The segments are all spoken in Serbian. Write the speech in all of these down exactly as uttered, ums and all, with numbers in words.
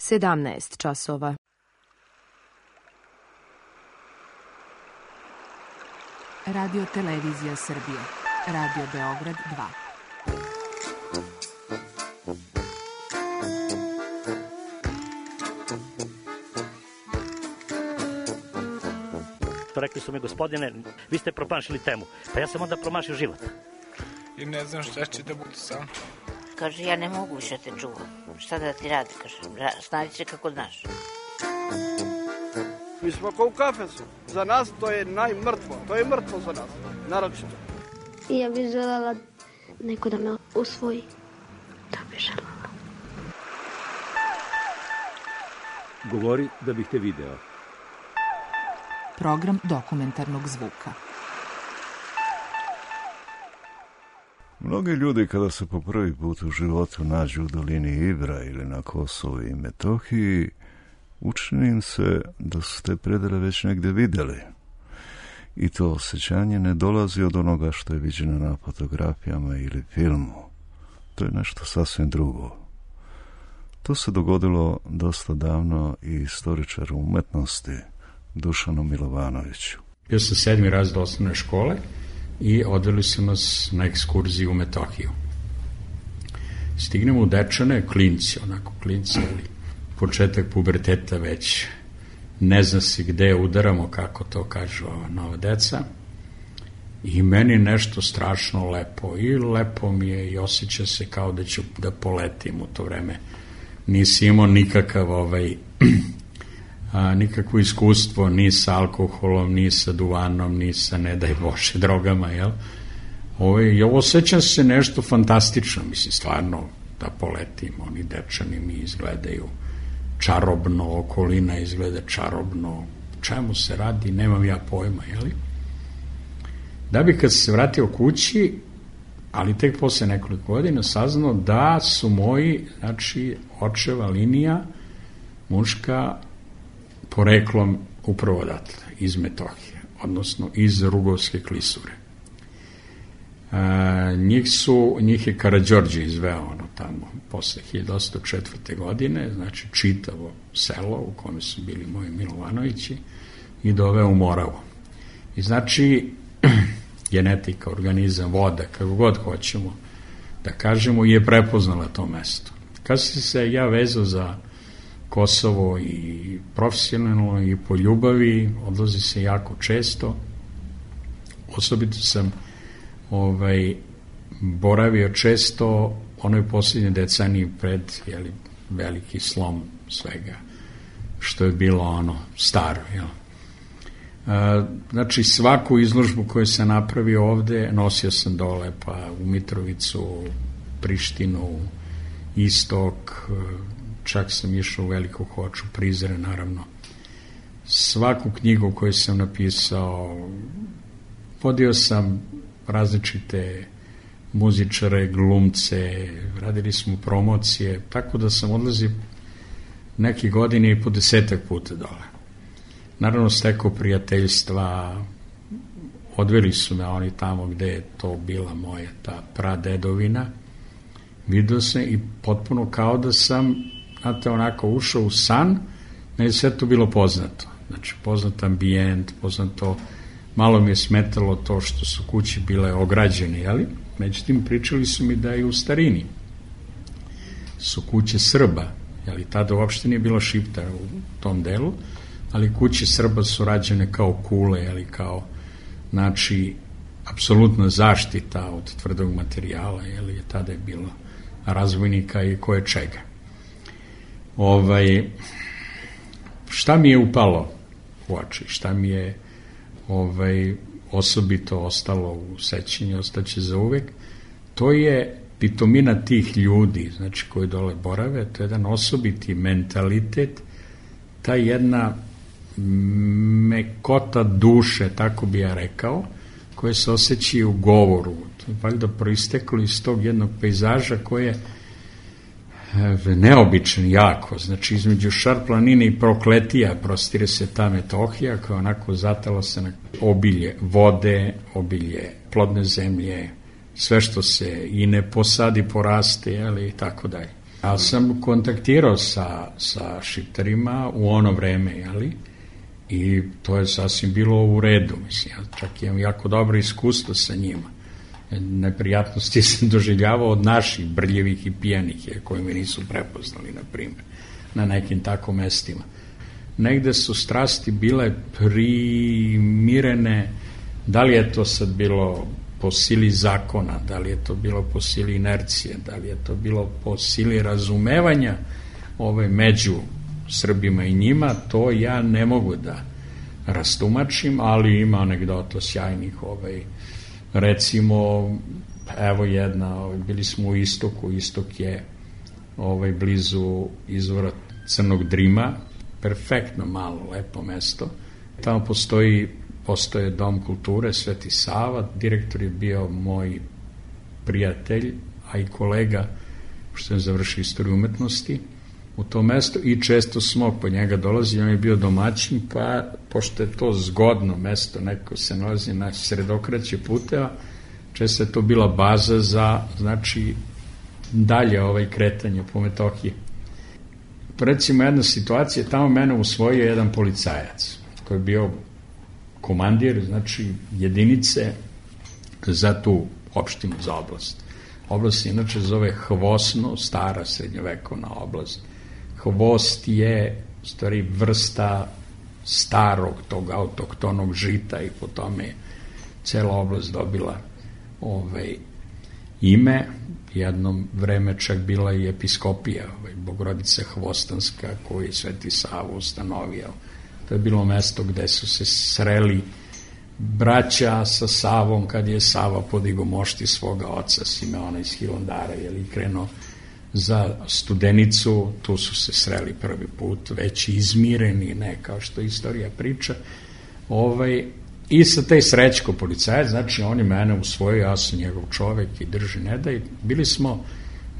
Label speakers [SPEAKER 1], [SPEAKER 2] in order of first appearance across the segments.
[SPEAKER 1] sedamnaest časova.
[SPEAKER 2] Radio Televizija Srbije. Radio Beograd dva.
[SPEAKER 3] Rekli su mi, gospodine, vi ste promašili temu. Pa ja sam onda promašio život.
[SPEAKER 4] I ne znam šta će da budu sam.
[SPEAKER 5] Kaže, ja ne mogu više te čuvam. Šta da ti radi? Kaže, snađi se kako znaš.
[SPEAKER 6] Mi smo kao u kafesu. Za nas to je najmrtvo. To je mrtvo za nas. Naročito.
[SPEAKER 7] I ja bih želela neko da me usvoji. Da bih želela.
[SPEAKER 8] Govori da bih te video.
[SPEAKER 2] Program dokumentarnog zvuka.
[SPEAKER 9] Mnogi ljudi kada se po prvi put u životu nađu u dolini Ibra ili na Kosovu i Metohiji, učini im se da su te predele već negdje vidjeli. I to osjećanje ne dolazi od onoga što je viđeno na fotografijama ili filmu. To je nešto sasvim drugo. To se dogodilo dosta davno i istoričaru umetnosti Dušanu Milovanoviću.
[SPEAKER 10] Bio sam sedmi razred osnovne škole i odveli su nas na ekskurziju u Metohiju. Stignemo u Dečane, klinci, onako klinci, ali početak puberteta već ne zna se gde udaramo, kako to kažu ova nova deca. I meni nešto strašno lepo. I lepo mi je i osjeća se kao da ću da poletim u to vreme. Nisi imao nikakav ovaj... A, nikakvo iskustvo ni sa alkoholom, ni sa duvanom, ni sa, ne daj Bože, drogama, jel? Ovo, ovo osjećam se nešto fantastično, mislim, stvarno, da poletim, oni Dečani mi izgledaju čarobno, okolina izgleda čarobno, čemu se radi, nemam ja pojma, jeli? Da bi kad se vratio kući, ali tek posle nekoliko godina saznao da su moji, znači, očeva linija, muška, poreklom upravo odatle, iz Metohije, odnosno iz Rugovske klisure. E, njih su, njih je Karađorđe izveo ono tamo posle hiljadu osamsto četvrte. godine, znači čitavo selo u kome su bili moji Milovanovići i doveo u Moravu. I znači genetika, organizam, voda, kako god hoćemo da kažemo, je prepoznala to mesto. Kad sam se ja vezao za Kosovo i profesionalno i po ljubavi, odlazi se jako često. Osobito sam ovaj, boravio često onoj posljednje deceniji pred jeli, veliki slom svega što je bilo ono staro. Jel? E, znači svaku izložbu koju sam napravio ovde nosio sam dole, pa u Mitrovicu, Prištinu, Istok, čak sam išao u Veliku Hoču, Prizre, naravno. Svaku knjigu koju sam napisao, vodio sam različite muzičare, glumce, radili smo promocije, tako da sam odlazio neke godine i po desetak puta dole. Naravno, stekao prijateljstva, odveli su me oni tamo gde je to bila moja ta pradedovina, vidio sam i potpuno kao da sam, znate, onako ušao u san, ne je sve to bilo poznato. Znači, poznat ambijent, poznato, malo mi je smetalo to što su kuće bile ograđene, jeli? Međutim, pričali su mi da i u starini su kuće Srba, jeli? Tada uopšte nije bilo Šipta u tom delu, ali kuće Srba su rađene kao kule, jeli? Kao, znači, apsolutna zaštita od tvrdog materijala, jeli? Tada je bilo razvojnika i koje čega. Ovaj, šta mi je upalo u oči, šta mi je ovaj, osobito ostalo u sećanju, ostaće za uvek, to je pitomina tih ljudi, znači koji dole borave, to je jedan osobiti mentalitet, ta jedna mekota duše, tako bi ja rekao, koje se osjeća u govoru. To je valjda proisteklo iz tog jednog pejzaža koje je neobičan jako, znači između Šar-planine i Prokletija prostire se ta Metohija koja onako zatala se na obilje vode, obilje plodne zemlje, sve što se i ne posadi poraste, ali i tako dalje. Ali sam kontaktirao sa, sa šiptarima u ono vreme, jeli? I to je sasvim bilo u redu, mislim, ja čak imam jako dobro iskustvo sa njima. Neprijatnosti sam doživljavao od naših brljevih i pijanih, koji me nisu prepoznali, na primjer, na nekim tako mestima. Negde su strasti bile primirene, da li je to sad bilo po sili zakona, da li je to bilo po sili inercije, da li je to bilo po sili razumevanja ove među Srbima i njima, to ja ne mogu da rastumačim, ali ima anegdota sjajnih, ovaj, recimo, evo jedna, ovaj, bili smo u Istoku, Istok je ovaj, blizu izvora Crnog Drima, perfektno malo, lepo mesto, tamo postoji postoje Dom kulture Sveti Sava, direktor je bio moj prijatelj, a i kolega, što je završio istoriju umetnosti u tom mestu i često smo po njega dolazili, on je bio domaćin, pa pošto je to zgodno mesto, neko se nalazi na sredokraće puteva, često je to bila baza za, znači, dalje ovaj kretanje po Metohiji. Recimo jedna situacija, tamo mene usvojio jedan policajac, koji je bio komandir, znači jedinice za tu opštinu, za oblast. Oblast se inače zove Hvosno, stara srednjovekovna oblast. Hvost je u stvari vrsta starog tog autohtonog žita i po tome je cela oblast dobila ovaj, ime. Jedno vreme čak bila i episkopija, ovaj, Bogorodica Hvostanska, koju je Sveti Sava ustanovio. To je bilo mesto gde su se sreli braća sa Savom kad je Sava podigao mošti svoga oca Simeona iz Hilandara, jer je krenuo za Studenicu, tu su se sreli prvi put, već izmireni, ne kao što istorija priča. Ovaj, I sa taj Srećko policajac, znači on je mene usvojio, ja sam njegov čovek i drži ne da, i bili smo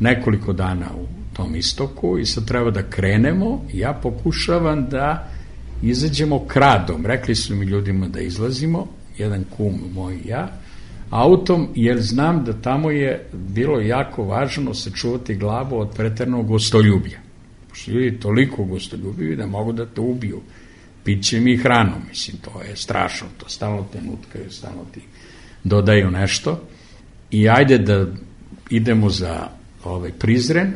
[SPEAKER 10] nekoliko dana u tom Istoku i sad treba da krenemo i ja pokušavam da izađemo kradom. Rekli su mi ljudima da izlazimo, jedan kum moj i ja, autom, jer znam da tamo je bilo jako važno sačuvati glavu od preternog gostoljublja. Pošto ljudi toliko gostoljubivi da mogu da te ubiju pićem i hranom, mislim, to je strašno, to stalno te nutkaju, stalno ti dodaju nešto i ajde da idemo za ovaj Prizren.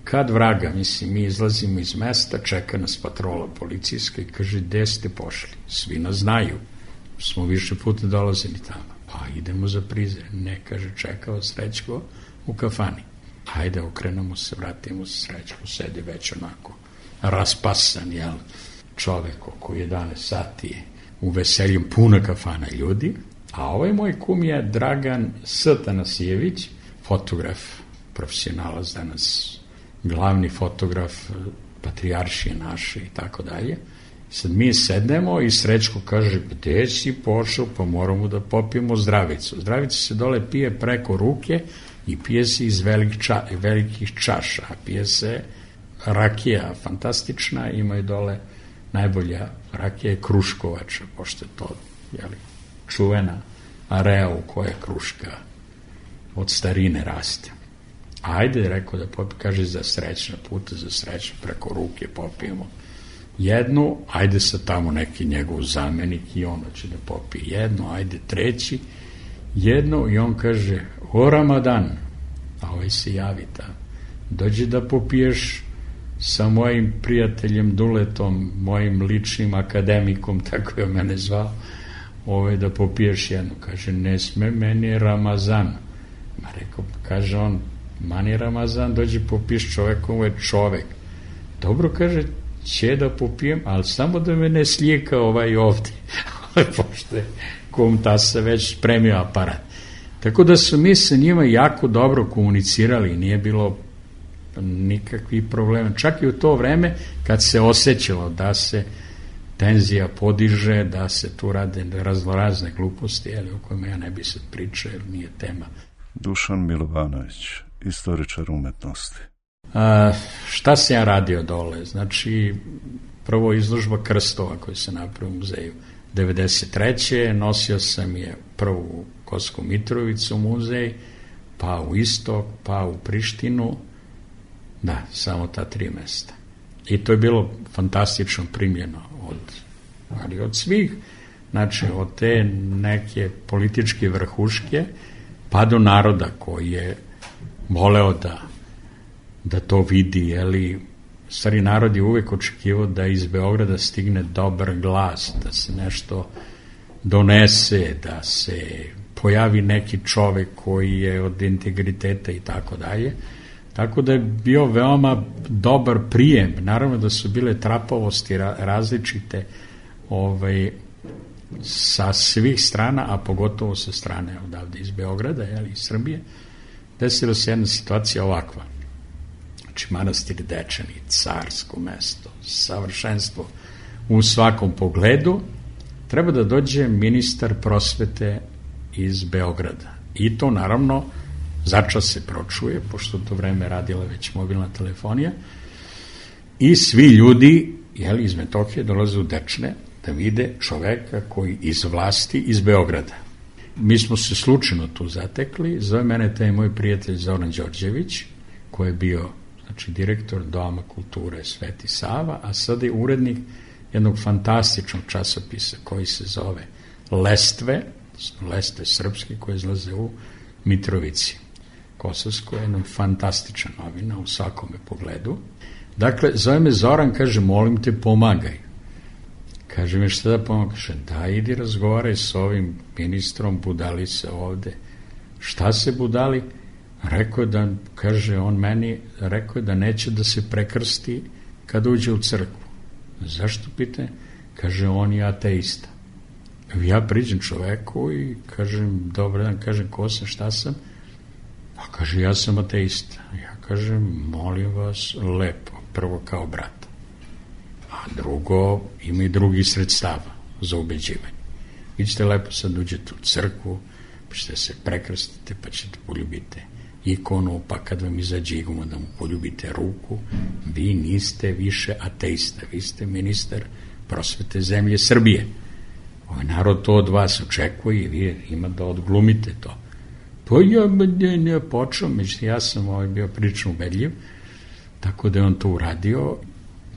[SPEAKER 10] Kad vraga, mislim, mi izlazimo iz mesta, čeka nas patrola policijska i kaže, gde ste pošli? Svi nas znaju, smo više puta dolazili tamo. Pa idemo za Prizren. Ne, kaže, čekao Srećko u kafani. Hajde, okrenemo se, vratimo se, Srećko sedi već onako raspasan, jel, čovek oko jedanaest sati u veseljem, puna kafana ljudi. A ovaj moj kum je Dragan S. Tanasijević, fotograf, profesionalac danas, glavni fotograf patrijaršije naše i tako dalje. Sad mi sednemo i Srećko kaže, gde si pošao, pa moramo da popijemo zdravicu. Zdravica se dole pije preko ruke i pije se iz velik ča, velikih čaša. Pije se rakija fantastična, imaju dole najbolja rakija je Kruškovača, pošto je to, jeli, čuvena area u kojoj Kruška od starine raste. Ajde, rekao da popijemo, kaže za srećna puta, za srećna, preko ruke popijemo jednu, ajde sad tamo neki njegov zamenik i ono će da popije jednu, ajde treći, jednu i on kaže, o Ramadan, a ovaj se javi tamo, dođi da popiješ sa mojim prijateljem Duletom, mojim ličnim akademikom, tako je mene zvao, ovaj, da popiješ jednu. Kaže, ne sme, meni je Ramazan. Ma rekao, kaže on, mani Ramazan, dođi popiješ čovek, ovo je čovek. Dobro, kaže, će da popijem, ali samo da me ne slijeka ovaj ovdje. Pošto je kum tasa već spremio aparat. Tako da su mi sa njima jako dobro komunicirali, nije bilo nikakvih problema. Čak i u to vreme kad se osjećalo da se tenzija podiže, da se tu rade raznorazne gluposti, ali o kojima ja ne bi sad pričao, jer nije tema.
[SPEAKER 9] Dušan Milovanović, istoričar umetnosti.
[SPEAKER 10] A, šta sam ja radio dole? Znači, prvo izložba krstova koji se napravio u muzeju devedeset treće nosio sam je prvo u Kosovsku Mitrovicu muzej, pa u Istok, pa u Prištinu. Da, samo ta tri mesta. I to je bilo fantastično primljeno od, ali od svih, znači od te neke političke vrhuške pa do naroda koji je voleo da, da to vidi, jeli, stari narod je uvek očekivao da iz Beograda stigne dobar glas, da se nešto donese, da se pojavi neki čovek koji je od integriteta i tako dalje. Tako da je bio veoma dobar prijem. Naravno da su bile trapavosti različite ovaj, sa svih strana, a pogotovo sa strane odavde iz Beograda, jel, iz Srbije. Desila se jedna situacija ovakva. Znači, manastir Dečani, carsko mesto, savršenstvo u svakom pogledu. Treba da dođe ministar prosvete iz Beograda. I to, naravno, začas se pročuje, pošto to vreme radila već mobilna telefonija, i svi ljudi, jel, iz Metohije dolaze u Dečne da vide čoveka koji iz vlasti iz Beograda. Mi smo se slučajno tu zatekli, zove mene taj moj prijatelj Zoran Đorđević, koji je bio, znači, direktor Doma kulture Sveti Sava, a sada je urednik jednog fantastičnog časopisa koji se zove Lestve, Lestve srpske, koje izlaze u Mitrovici Kosovskoj, jedna fantastična novina u svakome pogledu. Dakle, zove me Zoran, kaže, molim te, pomagaj. Kaže mi, šta da pomagaj? Kaže, da, idi razgovaraj s ovim ministrom, budali se ovde. Šta se budali? Rekao je da, kaže on meni, rekao je da neće da se prekrsti kada uđe u crkvu. Zašto, pite? Kaže, on je ateista. Ja priđem čoveku i kažem, dobar dan, kažem, ko sam, šta sam? A kaže, ja sam ateista. Ja kažem, molim vas, lepo, prvo kao brat. A drugo, ima i drugih sredstava za ubeđivanje. Vi ćete lepo sad uđete u crkvu, pa ćete se prekrstite, pa ćete poljubite ikonu, pa kad vam izađe iguma da mu poljubite ruku, vi niste više ateista, vi ste ministar prosvete zemlje Srbije. Ovaj narod to od vas očekuje i vi ima da odglumite to. Pa ja ne, ne počeo, međutim ja sam ovaj bio prilično ubedljiv, tako da je on to uradio,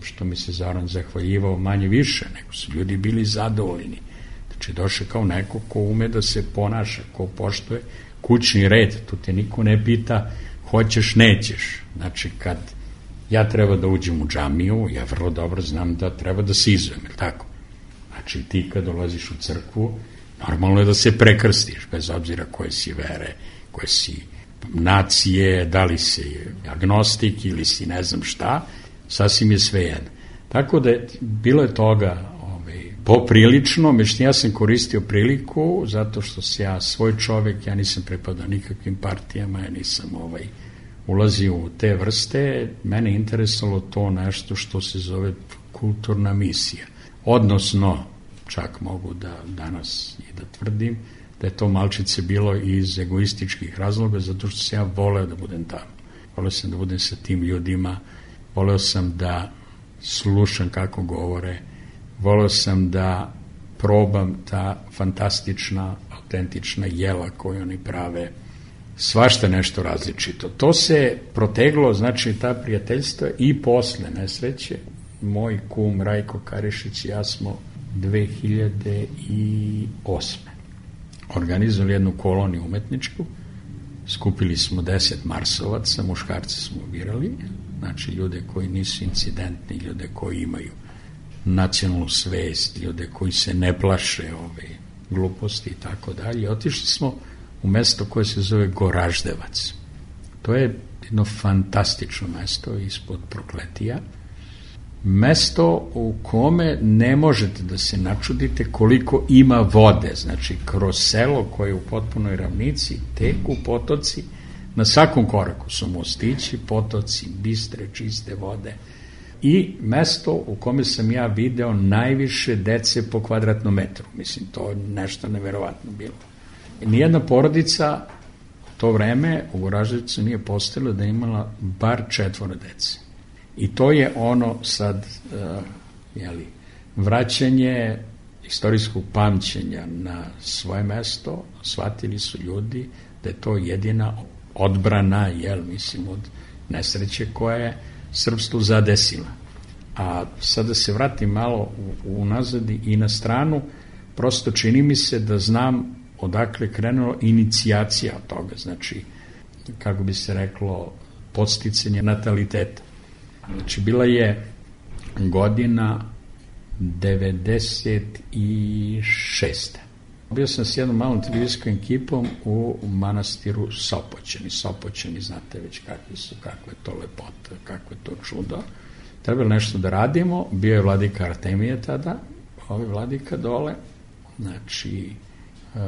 [SPEAKER 10] što mi se Zoran zahvaljivao manje više, nego su ljudi bili zadovoljni. Znači došao kao neko ko ume da se ponaša, ko poštuje kućni red, tu te niko ne pita hoćeš, nećeš. Znači kad ja treba da uđem u džamiju, ja vrlo dobro znam da treba da se izujem, je tako? Znači ti kad dolaziš u crkvu, normalno je da se prekrstiš, bez obzira koje si vere, koje si nacije, da li si agnostik ili si ne znam šta, sasvim je svejedno. Tako da je, bilo je toga ovaj, poprilično, međutim ja sam koristio priliku, zato što sam ja svoj čovek, ja nisam pripadao nikakvim partijama, ja nisam ovaj, ulazio u te vrste, mene interesalo to nešto što se zove kulturna misija. Odnosno, čak mogu da danas i da tvrdim, da je to malčice bilo iz egoističkih razloga, zato što sam ja voleo da budem tamo. Voleo sam da budem sa tim ljudima, voleo sam da slušam kako govore, voleo sam da probam ta fantastična, autentična jela koju oni prave, svašta nešto različito. To se proteglo, znači ta prijateljstva i posle nesreće. Moj kum Rajko Karišić i ja smo dve hiljade osme organizovali jednu koloniju umetničku, skupili smo deset marsovaca, muškarce smo birali, znači ljude koji nisu incidentni, ljude koji imaju nacionalnu svest, ljude koji se ne plaše ove gluposti i tako dalje. Otišli smo u mesto koje se zove Goraždevac. To je jedno fantastično mesto ispod Prokletija, mesto u kome ne možete da se načudite koliko ima vode, znači kroz selo koje je u potpunoj ravnici teku potoci, na svakom koraku su mostići, potoci, bistre, čiste vode i mesto u kome sam ja video najviše dece po kvadratnom metru, mislim to je nešto neverovatno bilo. Nijedna porodica u to vreme u Goraždevcu nije postojala da je imala bar četvoro dece. I to je ono sad, uh, jeli, vraćanje istorijskog pamćenja na svoje mesto, shvatili su ljudi da je to jedina odbrana, jel, mislim, od nesreće koja je srpstvo zadesila. A sada se vratim malo unazad i na stranu, prosto čini mi se da znam odakle krenula inicijacija od toga, znači, kako bi se reklo, podsticanje nataliteta. Znači, bila je godina devedeset šeste. Bio sam s jednom malom televizijskom ekipom u manastiru Sopoćani. Sopoćani, znate već kakvi su, kakva je to lepota, kakvo je to čudo. Trebalo nešto da radimo, bio je vladika Artemije tada, ovaj vladika dole, znači uh,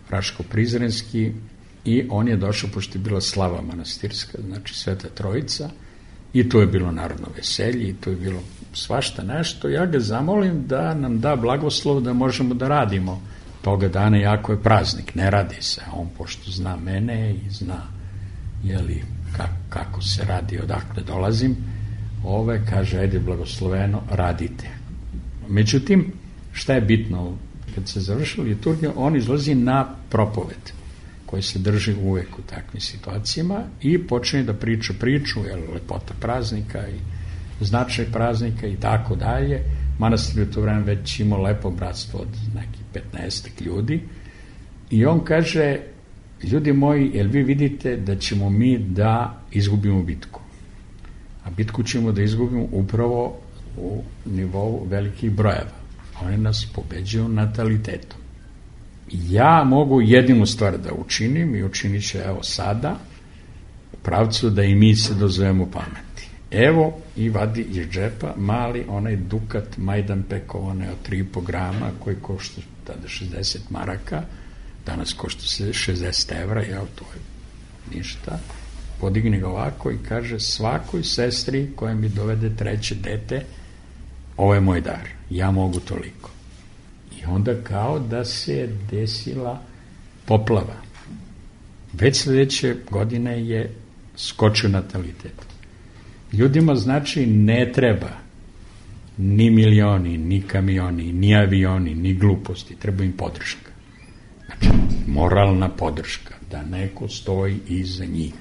[SPEAKER 10] Raško-Prizrenski, i on je došao, pošto je bila slava manastirska, znači Sveta Trojica, i tu je bilo narodno veselje, i tu je bilo svašta nešto. Ja ga zamolim da nam da blagoslov da možemo da radimo toga dana, jako je praznik, ne radi se. On, pošto zna mene i zna jeli, kako, kako se radi, odakle dolazim, ove, kaže, ajde blagosloveno, radite. Međutim, šta je bitno? Kad se završila liturgija, on izlazi na propoved, koji se drži uvek u takvim situacijama, i počne da priča priču, je lepota praznika i značaj praznika i tako dalje. Manastir je u to vreme već imao lepo bratstvo od nekih petnaestak ljudi, i on kaže, ljudi moji, jel vi vidite da ćemo mi da izgubimo bitku? A bitku ćemo da izgubimo upravo u nivou velikih brojeva. Oni nas pobeđuju natalitetom. Ja mogu jedinu stvar da učinim, i učinit ću evo sada, u pravcu da i mi se dozovemo pameti. Evo, i vadi iz džepa mali onaj dukat Majdanpekov, onaj od tri i po grama, koji košta tada šezdeset maraka, danas košta šezdeset evra, evo, to je ništa. Podigne ga ovako i kaže, svakoj sestri koja mi dovede treće dete, ovo je moj dar, ja mogu toliko. I onda kao da se desila poplava. Već sledeće godine je skočio natalitet. Ljudima, znači, ne treba ni milioni, ni kamioni, ni avioni, ni gluposti, treba im podrška. Znači, moralna podrška, da neko stoji iza njih.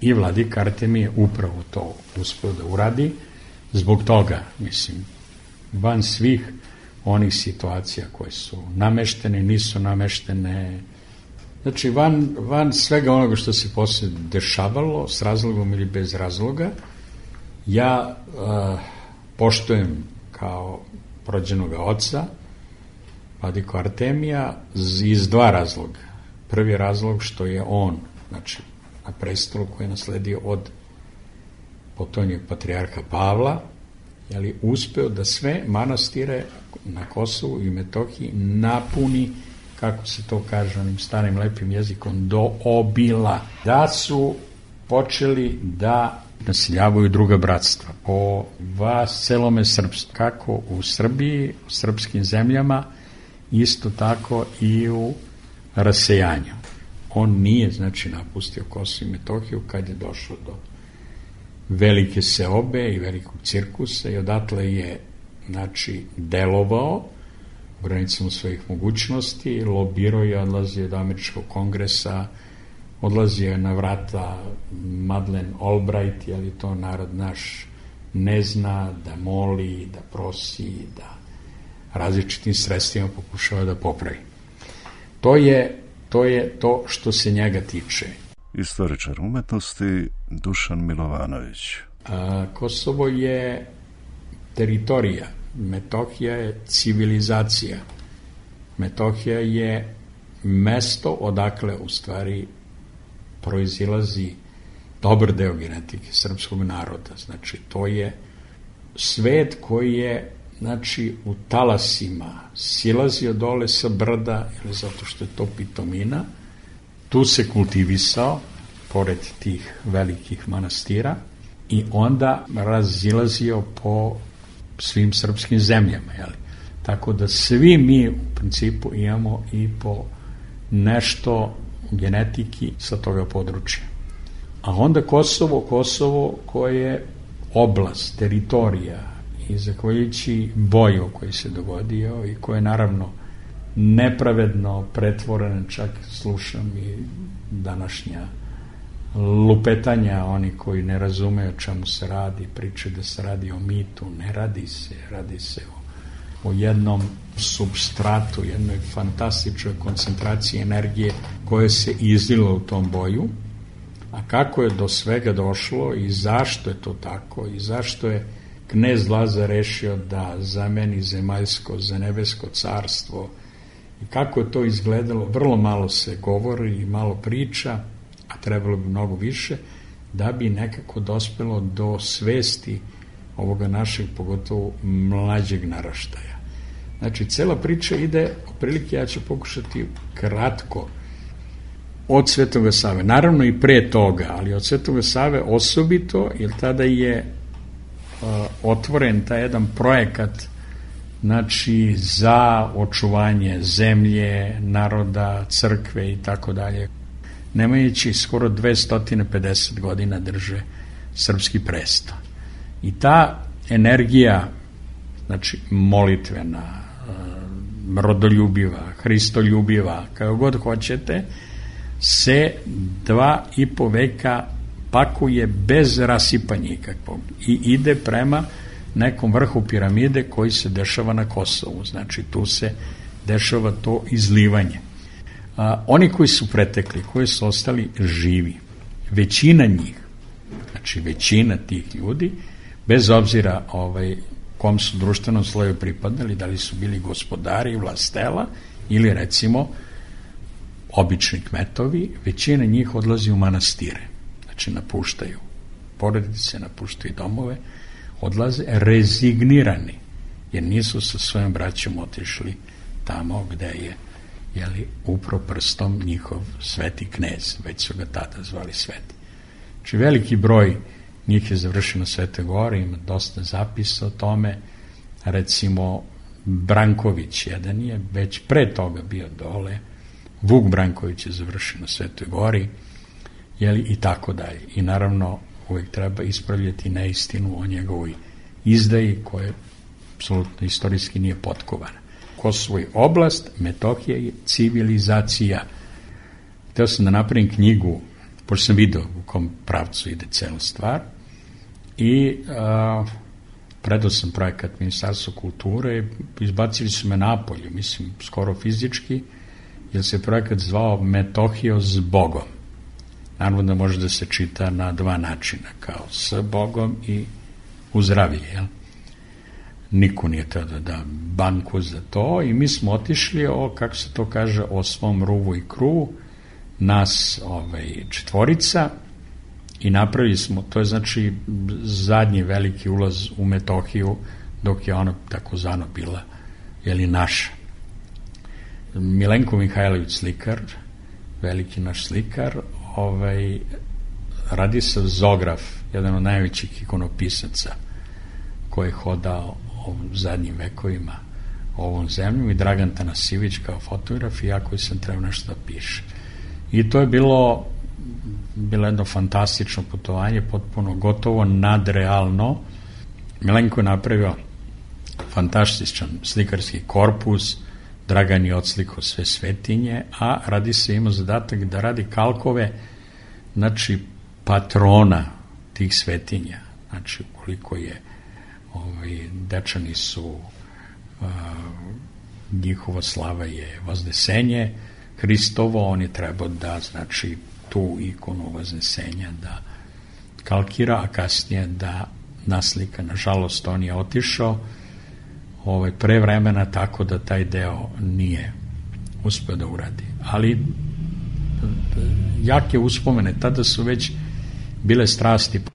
[SPEAKER 10] I vladika Artemije je upravo to uspeo da uradi. Zbog toga, mislim, van svih onih situacija koje su nameštene, nisu nameštene, znači van, van svega onoga što se posle dešavalo, s razlogom ili bez razloga, ja uh, poštujem kao rođenoga oca vladiku Artemija iz dva razloga. Prvi razlog što je on, znači, na prestolu koji je nasledio od potonjeg patrijarha Pavla, je li uspeo da sve manastire na Kosovu i Metohiji napuni, kako se to kaže onim starim lepim jezikom, do obila. Da su počeli da naseljavaju druga bratstva po vas celome srpstvu, kako u Srbiji, u srpskim zemljama, isto tako i u rasejanju. On nije, znači, napustio Kosovo i Metohiju kad je došlo do velike seobe i velikog cirkusa, i odatle je, znači, delovao u granicama svojih mogućnosti, lobirao je, odlazio do američkog kongresa, odlazio je na vrata Madeleine Albright, je li to narod naš ne zna, da moli, da prosi, da različitim sredstvima pokušava da popravi. To je to je to što se njega tiče.
[SPEAKER 9] Istoričar umetnosti Dušan Milovanović.
[SPEAKER 10] A, Kosovo je teritorija, Metohija je civilizacija. Metohija je mesto odakle u stvari proizilazi dobar deo genetike srpskog naroda. Znači, to je svet koji je, znači, u talasima silazio dole sa brda, ili zato što je to pitomina, tu se kultivisao, pored tih velikih manastira, i onda razilazio po svim srpskim zemljama. Jeli? Tako da svi mi u principu imamo i po nešto genetiki sa toga područja. A onda Kosovo, Kosovo koje je oblast, teritorija, i zahvaljujući boju koji se dogodio i koji je naravno nepravedno pretvoren, čak slušam i današnja lupetanja, oni koji ne razumeju o čemu se radi, priče da se radi o mitu, ne radi se, radi se o, o jednom substratu, jednoj fantastičnoj koncentraciji energije koja se izlila u tom boju, a kako je do svega došlo i zašto je to tako i zašto je knez Lazar rešio da zameni zemaljsko za nebesko carstvo i kako je to izgledalo, vrlo malo se govori i malo priča, a trebalo bi mnogo više, da bi nekako dospelo do svesti ovoga našeg, pogotovo mlađeg naraštaja. Znači, cela priča ide, otprilike ja ću pokušati kratko, od Svetoga Save. Naravno i pre toga, ali od Svetoga Save osobito, jer tada je uh, otvoren taj jedan projekat, znači, za očuvanje zemlje, naroda, crkve i tako dalje. Nemajući skoro dvesta pedeset godina drže srpski presto. I ta energija, znači molitvena, rodoljubiva, hristoljubiva, kako god hoćete, se dva i po veka pakuje bez rasipanja ikakvog i ide prema nekom vrhu piramide koji se dešava na Kosovu. Znači tu se dešava to izlivanje. A, oni koji su pretekli, koji su ostali živi, većina njih, znači većina tih ljudi, bez obzira ovaj, kom su društvenom sloju pripadali, da li su bili gospodari, vlastela ili recimo obični kmetovi, većina njih odlazi u manastire, znači napuštaju porodice, napuštaju domove, odlaze rezignirani, jer nisu sa svojim braćom otišli tamo gde je, jeli, upro prstom njihov sveti knez, već su ga tada zvali sveti. Znači veliki broj njih je završeno Svete Gore, ima dosta zapisa o tome, recimo Branković jedan je već pre toga bio dole, Vuk Branković je završen na Svetoj Gori, jeli, i tako dalje. I naravno uvijek treba ispravljati neistinu o njegovoj izdaji koja apsolutno istorijski nije potkovana. Kosovo je oblast, Metohija je civilizacija. Hteo sam da napravim knjigu, pošto sam vidio u kom pravcu ide cela stvar, i a, predao sam projekat Ministarstva kulture, izbacili su me napolje, mislim, skoro fizički, jer se projekat zvao Metohija s Bogom. Naravno da može da se čita na dva načina, kao s Bogom i u zdravlje, jel? Niko nije teo da da banku za to i mi smo otišli, o, kako se to kaže, o svom ruvu i kruvu, nas ovaj, četvorica, i napravili smo, to je znači zadnji veliki ulaz u Metohiju, dok je ona takozvano bila, jeli, naša. Milenko Mihajlović slikar, veliki naš slikar, ovaj, Radislav Zograf, jedan od najvećih ikonopisaca koji je hodao u zadnjim vekovima ovom zemljom, i Dragan Tanasivić kao fotograf, i ja koji sam trebao nešto da piše. I to je bilo bilo jedno fantastično putovanje, potpuno gotovo nadrealno. Milenko je napravio fantastičan slikarski korpus, Dragan je odslikao sve svetinje, a radi se imao zadatak da radi kalkove, znači patrona tih svetinja. Znači, koliko je ovaj, Dečani su, a, njihova slava je Vaznesenje Hristovo, on je trebao da, znači, tu ikonu Vaznesenja da kalkira, a kasnije da naslika. Nažalost, on je otišao ovaj, pre vremena, tako da taj deo nije uspeo da uradi. Ali jake uspomene, tada su već bile strasti